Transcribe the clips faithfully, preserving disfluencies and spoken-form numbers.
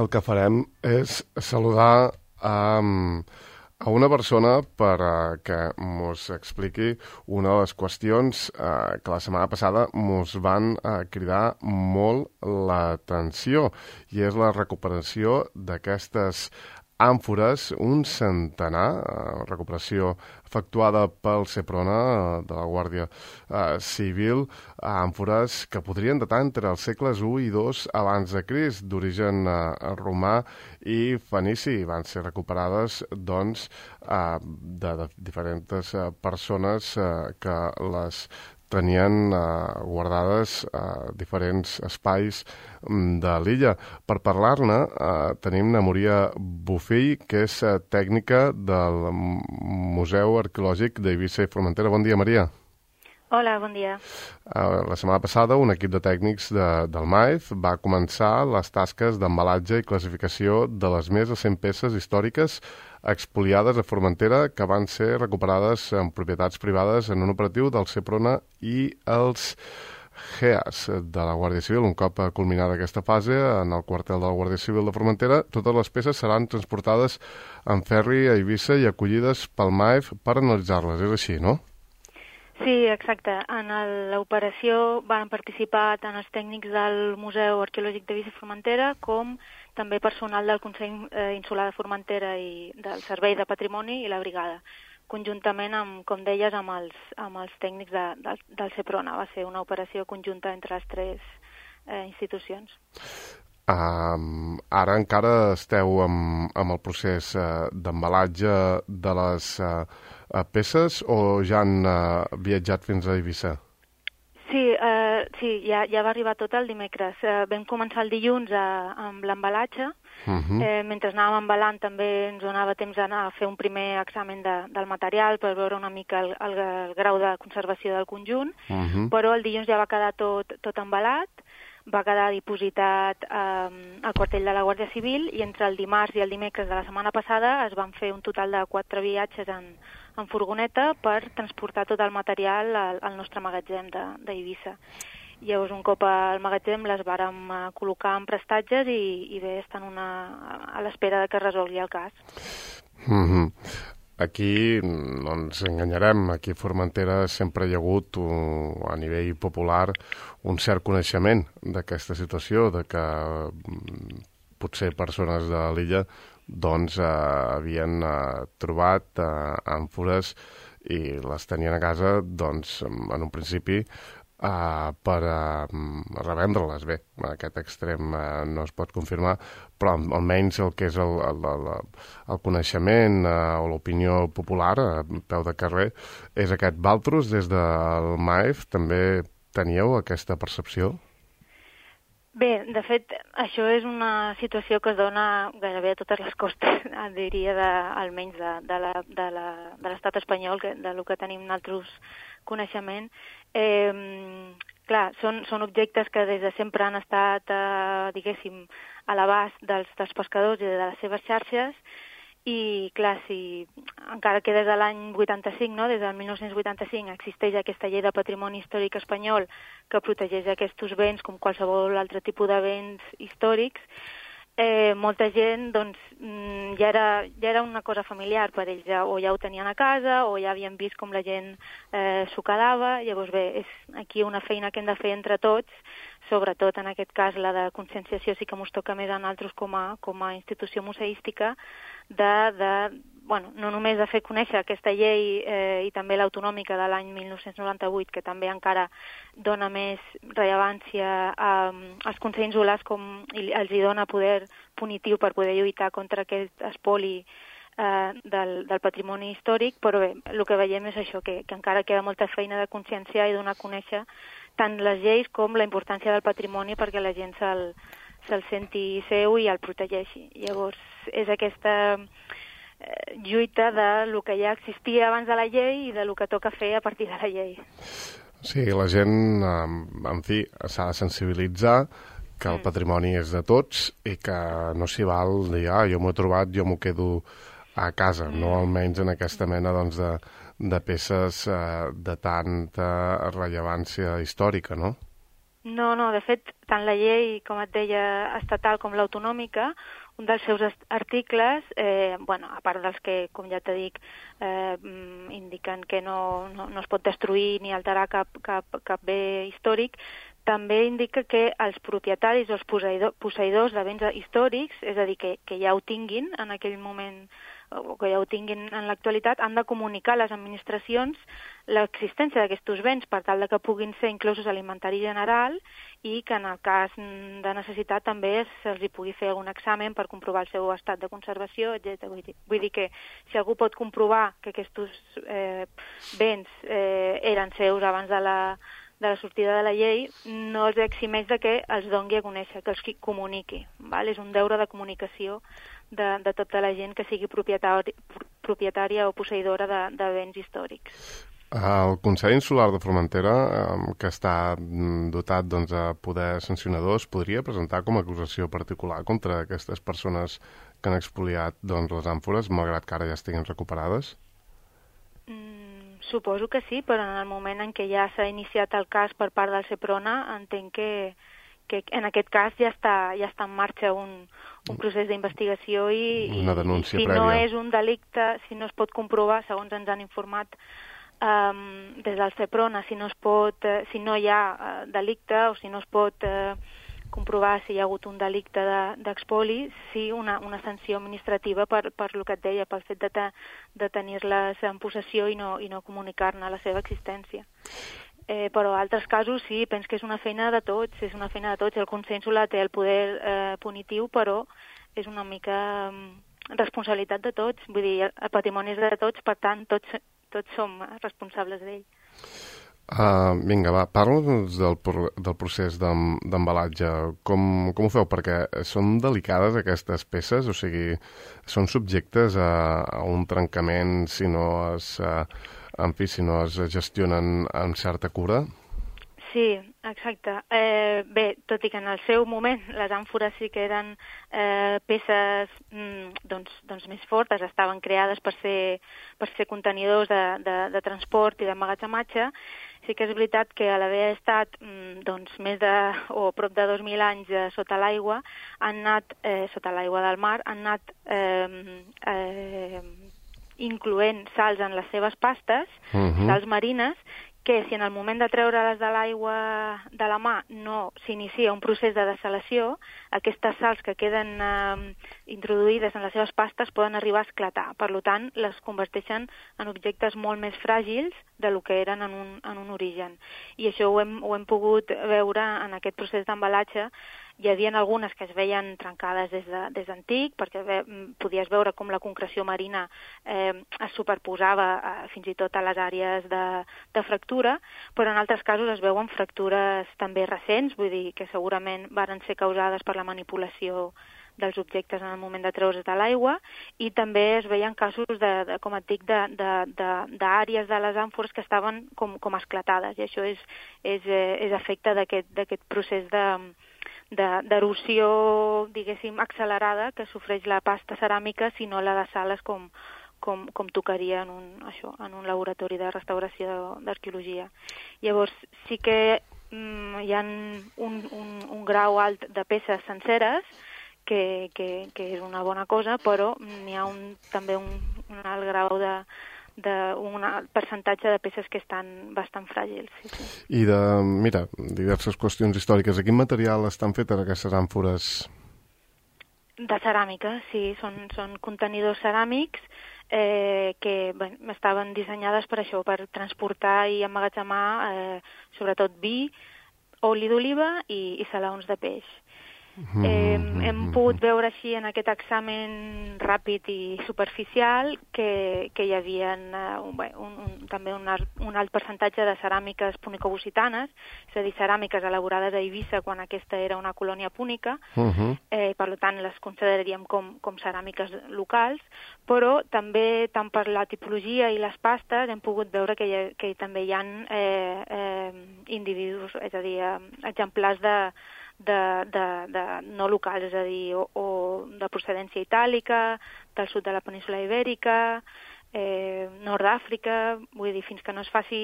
el que farem és saludar a, a una persona per uh, que mos expliqui una de les qüestions uh, que la setmana passada mos van uh, cridar molt l'atenció, i és la recuperació d'aquestes àmfores, un centenar, eh, recuperació efectuada pel Seprona eh, de la Guàrdia eh, Civil, àmfores que podrien datar entre els segles u i dos abans de Crist, d'origen eh, romà i fenici. Van ser recuperades, doncs, eh, de, de diferents eh, persones eh, que les tenien eh, guardades a eh, diferents espais de l'illa. Per parlar-ne, eh, tenim na Moria Bofill, que és eh, tècnica del Museu Arqueològic d'Eivissa i Formentera. Bon dia, Maria. Hola, bon dia. Uh, la setmana passada, un equip de tècnics de, del M A E F va començar les tasques d'embalatge i classificació de les més de cent peces històriques expoliades a Formentera que van ser recuperades en propietats privades en un operatiu del Seprona i els G E A S de la Guàrdia Civil. Un cop culminada aquesta fase, en el quartel de la Guàrdia Civil de Formentera, totes les peces seran transportades en ferri a Eivissa i acollides pel M A E F per analitzar-les. És així, no? Sí, exacte. En l'operació van participar tant els tècnics del Museu Arqueològic d'Eivissa i Formentera com també personal del Consell Insular de Formentera i del Servei de Patrimoni i la Brigada, conjuntament, amb, com deies, amb els, amb els tècnics de, del, del Seprona. Va ser una operació conjunta entre les tres eh, institucions. Um, ara encara esteu amb, amb el procés uh, d'embalatge de les uh, uh, peces o ja han uh, viatjat fins a Eivissa? Sí, uh, sí ja, ja va arribar tot el dimecres. Uh, vam començar el dilluns a, amb l'embalatge. Uh-huh. eh, mentre anàvem embalant també ens donava temps d'anar a fer un primer examen de, del material per veure una mica el, el, el grau de conservació del conjunt, uh-huh. però el dilluns ja va quedar tot, tot embalat, va quedar dipositat eh, al quartell de la Guàrdia Civil, i entre el dimarts i el dimecres de la setmana passada es van fer un total de quatre viatges en, en furgoneta per transportar tot el material al, al nostre magatzem d'Eivissa. Llavors, un cop al magatzem, les vàrem col·locar en prestatges i, i bé, estan una, a l'espera de que es resolgui el cas. Mm-hmm. Aquí no ens enganyarem, aquí a Formentera sempre hi ha hagut, un, a nivell popular, un cert coneixement d'aquesta situació, de que potser persones de l'illa doncs, eh, havien eh, trobat eh, àmfores i les tenien a casa, doncs, en un principi, Uh, per uh, revendre-les. Bé, aquest extrem uh, no es pot confirmar, però almenys el que és el, el, el, el coneixement uh, o l'opinió popular a peu de carrer és aquest. Valtros, des del M A E F, també teníeu aquesta percepció? Bé, de fet, això és una situació que es dona gairebé a totes les costes, diria, de, almenys de, de la, de la, de l'estat espanyol, que, de lo que tenim nosaltres coneixement. Eh, clar, són, són objectes que des de sempre han estat, eh, diguéssim, a l'abast dels, dels pescadors i de les seves xarxes, i clar, si encara que des de l'any vuitanta-cinc, no, des del mil nou-cents vuitanta-cinc, existeix aquesta llei de patrimoni històric espanyol que protegeix aquests béns com qualsevol altre tipus de béns històrics, eh, molta gent, doncs, ja era, ja era una cosa familiar per ells, ja, o ja ho tenien a casa, o ja havien vist com la gent eh, s'ho quedava. Llavors, bé, és aquí una feina que hem de fer entre tots, sobretot en aquest cas la de conscienciació sí que ens toca més a nosaltres com a, com a institució museística, de, de, bueno, no només de fer conèixer aquesta llei eh, i també l'autonòmica de l'any mil nou-cents noranta-vuit, que també encara dona més rellevància a, als consells insulars com i els hi dona poder punitiu per poder lluitar contra aquest espoli eh, del, del patrimoni històric, però bé, el que veiem és això, que, que encara queda molta feina de conscienciar i donar a conèixer tant les lleis com la importància del patrimoni perquè la gent se'l se'l senti seu i el protegeixi. Llavors, és aquesta eh, lluita de lo que ja existia abans de la llei i de lo que toca fer a partir de la llei. Sí, la gent, en fi, s'ha de sensibilitzar que el patrimoni és de tots i que no s'hi val dir, ah, jo m'ho he trobat, jo m'ho quedo a casa, mm. no almenys en aquesta mena doncs, de, de peces eh, de tanta rellevància històrica, no? No, no, de fet, tant la llei, com et deia, estatal com l'autonòmica, un dels seus articles, eh, bueno, a part dels que, com ja t'he dit, eh, indiquen que no, no, no es pot destruir ni alterar cap, cap, cap bé històric, també indica que els propietaris o els posseïdors de béns històrics, és a dir, que, que ja ho tinguin en aquell moment, o que ja ho tinguin en l'actualitat, han de comunicar a les administracions l'existència d'aquests béns per tal de que puguin ser inclosos a l'inventari general i que en el cas de necessitat també se'ls pugui fer algun examen per comprovar el seu estat de conservació, etcètera. Vull dir, vull dir que si algú pot comprovar que aquests eh, béns eh, eren seus abans de la, de la sortida de la llei, no els eximeix de que els doni a conèixer, que els comuniqui. Val? És un deure de comunicació de, de tota la gent que sigui propietari, propietària o posseïdora de, de béns històrics. El Consell Insular de Formentera, que està dotat doncs, a poder sancionadors, podria presentar com a acusació particular contra aquestes persones que han expoliat doncs, les àmfores, malgrat que ara ja estiguin recuperades? Mm, suposo que sí, però en el moment en què ja s'ha iniciat el cas per part del Seprona, entenc que, que en aquest cas ja està, ja està en marxa un, un procés d'investigació i, Una denúncia i si prèvia. no és un delicte, si no es pot comprovar, segons ens han informat, Um, des del Seprona, si no es pot, uh, si no hi ha uh, delicte o si no es pot uh, comprovar si hi ha hagut un delicte d'expoli, de, sí una, una sanció administrativa per, per el que et deia, pel fet de, te, de tenir-les en possessió i no, i no comunicar-ne la seva existència. Eh, però en altres casos sí, penso que és una feina de tots, és una feina de tots. El Consell té el poder eh, punitiu, però és una mica um, responsabilitat de tots. Vull dir, el patrimoni és de tots, per tant, tots tots som responsables d'ell. Uh, vinga, va, parla'ns del, del procés d'embalatge. Com, com ho feu? Perquè són delicades aquestes peces, o sigui, són subjectes a, a un trencament si no es, uh, en fi, si no es gestionen amb certa cura? Sí, exacte. Eh, bé, tot i que en el seu moment les àmfores sí que eren eh, peces mm, doncs, doncs més fortes, estaven creades per ser, per ser contenidors de, de, de transport i d'emmagatzematge, sí que és veritat que a l'haver estat mm, doncs, més de, o prop de dos mil anys eh, sota l'aigua, han anat, eh, sota l'aigua del mar, han anat eh, eh, incloent sals en les seves pastes, uh-huh. sals marines, que si en el moment de treure-les de l'aigua de la mà no s'inicia un procés de dessalació, aquestes sals que queden eh, introduïdes en les seves pastes poden arribar a esclatar. Per tant, les converteixen en objectes molt més fràgils de lo que eren en un, en un origen. I això ho hem, ho hem pogut veure en aquest procés d'embalatge. Hi havia algunes que es veien trencades des de, des d'antic, perquè ve, podies veure com la concreció marina eh, es superposava eh, fins i tot a les àrees de, de fractura, però en altres casos es veuen fractures també recents, vull dir que segurament varen ser causades per la manipulació dels objectes en el moment de treure's de l'aigua, i també es veien casos, de, de, com et dic, d'àrees de, de, de, de les àmfores que estaven com, com esclatades, i això és, és, és efecte d'aquest procés de d'erosió, diguéssim, accelerada que sofreix la pasta ceràmica si no la dessales com, com, com tocaria en un, això, en un laboratori de restauració d'arqueologia. Llavors, sí que mm, hi ha un, un, un grau alt de peces senceres que, que, que és una bona cosa, però n'hi ha un, també un, un alt grau de d'un percentatge de peces que estan bastant fràgils. Sí, sí. I de, mira, diverses qüestions històriques. De quin material estan fetes aquestes àmfores? De ceràmica, sí. Són, són contenidors ceràmics eh, que bé, estaven dissenyades per això, per transportar i emmagatzemar eh, sobretot vi, oli d'oliva i, i salaons de peix. Eh, hem pogut veure així en aquest examen ràpid i superficial que, que hi havia uh, un, un, un, també un, un alt percentatge de ceràmiques punicobusitanes, és a dir, ceràmiques elaborades a Eivissa quan aquesta era una colònia púnica, uh-huh. eh, per tant les consideraríem com, com ceràmiques locals, però també tant per la tipologia i les pastes hem pogut veure que, hi ha, que també hi ha eh, eh, individus, és a dir, eh, exemplars de De, de, de no locals, és a dir, o, o de procedència itàlica, del sud de la península ibèrica, eh, Nord d'Àfrica, vull dir, fins que no es faci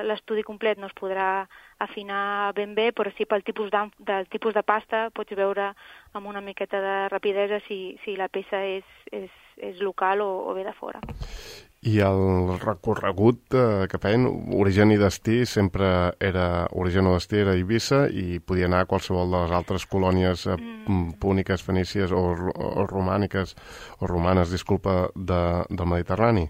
l'estudi complet no es podrà afinar ben bé, però sí pel tipus de, del tipus de pasta pots veure amb una miqueta de rapidesa si, si la peça és, és, és local o, o ve de fora. I el recorregut eh, que feien, origen i destí, sempre era, origen o destí era Eivissa i podia anar a qualsevol de les altres colònies eh, mm. púniques, fenícies o, o romàniques, o romanes, disculpa, de, del Mediterrani?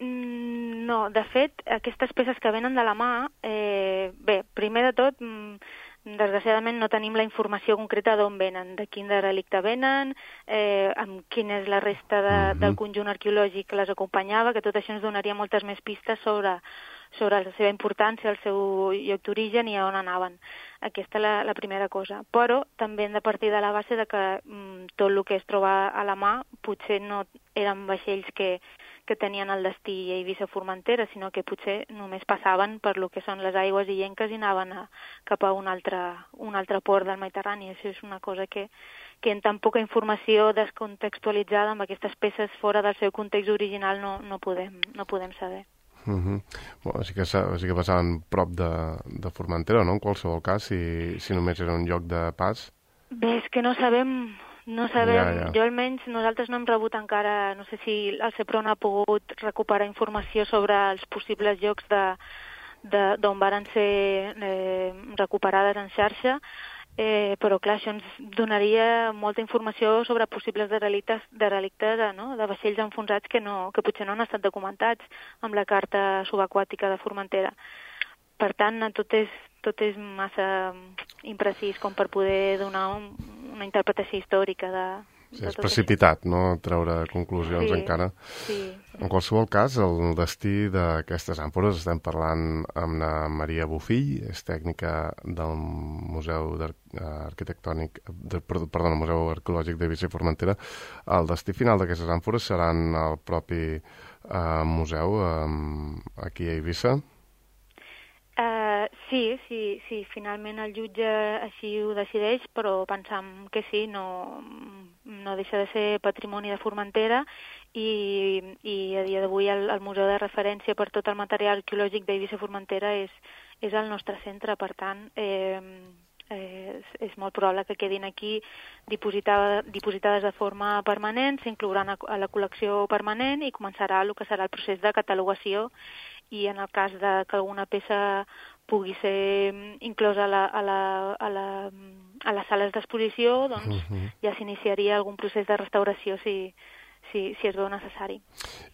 Mm, no, de fet, aquestes peces que venen de la mà, eh, bé, primer de tot, mm, desgraciadament no tenim la informació concreta d'on venen, de quin derelicte venen, eh, amb quina és la resta de, uh-huh. del conjunt arqueològic que les acompanyava, que tot això ens donaria moltes més pistes sobre, sobre la seva importància, el seu lloc d'origen i a on anaven. Aquesta és la, la primera cosa. Però també hem de partir de la base de que mm, tot el que es troba a la mà potser no eren vaixells que que tenien el destí a Eivissa-Formentera, sinó que potser només passaven per lo que són les aigües illenques i anaven a, cap a un altre, un altre port del Mediterrani. Això és una cosa que, que en tan poca informació descontextualitzada amb aquestes peces fora del seu context original no, no, podem, no podem saber. Uh-huh. Bueno, sí, que, sí que passaven prop de, de Formentera, no?, en qualsevol cas, si, si només era un lloc de pas. Bé, és que no sabem... No sabem, ja, ja. Jo almenys, nosaltres no hem rebut encara, no sé si el CEPRON ha pogut recuperar informació sobre els possibles llocs d'on varen ser eh, recuperades en xarxa, eh, però clar, això ens donaria molta informació sobre possibles derelictes, derelictes no? de vaixells enfonsats que, no, que potser no han estat documentats amb la carta subaquàtica de Formentera. Per tant, tot és, tot és massa imprecís com per poder donar un, una interpretació històrica de... Sí, és precipitat, no?, treure conclusions sí, encara. Sí. En qualsevol cas, el destí d'aquestes àmfores, estem parlant amb la Maria Bofill, és tècnica del Museu Arquitectònic, de, perdó, el Museu Arqueològic d'Eivissa i Formentera. El destí final d'aquestes àmfores seran el propi eh, museu eh, aquí a Eivissa? Uh, sí, sí, sí, finalment el jutge així ho decideix, però pensam que sí, no, no deixa de ser patrimoni de Formentera i, i a dia d'avui el, el museu de referència per tot el material arqueològic d'Eivissa Formentera és, és el nostre centre, per tant eh, eh, és, és molt probable que quedin aquí dipositada, dipositades de forma permanent, s'inclouran a, a la col·lecció permanent i començarà el que serà el procés de catalogació i en el cas de que alguna peça pugui ser inclosa a, la, a, la, a, la, a les sales d'exposició, doncs uh-huh. ja s'iniciaria algun procés de restauració si, si, si es veu necessari.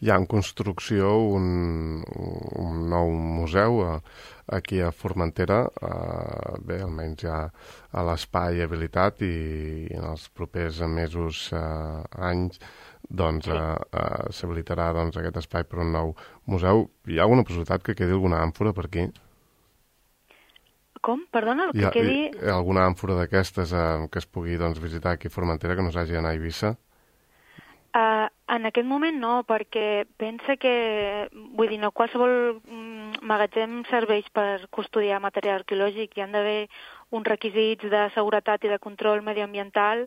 Hi ha en construcció un, un nou museu a, aquí a Formentera, eh, bé, almenys ja a l'espai habilitat i en els propers mesos, eh, anys, doncs sí. eh, eh, s'habilitarà doncs, aquest espai per un nou museu. Hi ha alguna possibilitat que quedi alguna àmfora per aquí? Com? Perdona, el que hi ha, quedi... Hi ha alguna àmfora d'aquestes eh, que es pugui doncs, visitar aquí a Formentera que no s'hagi d'anar a Eivissa? Uh, en aquest moment no, perquè pensa que, vull dir, no qualsevol mm, magatzem serveix per custodiar material arqueològic, hi han d'haver uns requisits de seguretat i de control mediambiental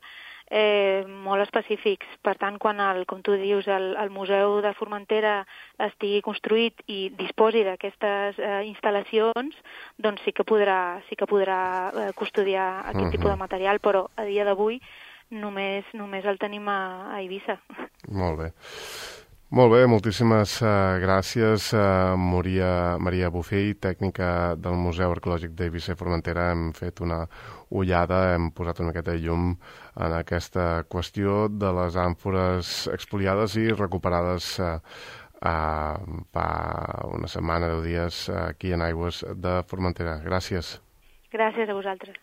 eh, molt específics. Per tant, quan, el, com tu dius, el, el Museu de Formentera estigui construït i disposi d'aquestes eh, instal·lacions, doncs sí que podrà, sí que podrà eh, custodiar aquest uh-huh. tipus de material, però a dia d'avui només, només el tenim a, a Eivissa. Molt bé. Molt bé, moltíssimes uh, gràcies, uh, Maria, Maria Bofill, tècnica del Museu Arqueològic d'Eivissa i Formentera. Hem fet una ullada, hem posat una miqueta de llum en aquesta qüestió de les àmfores expoliades i recuperades uh, uh, fa una setmana, deu dies, uh, aquí en aigües de Formentera. Gràcies. Gràcies a vosaltres.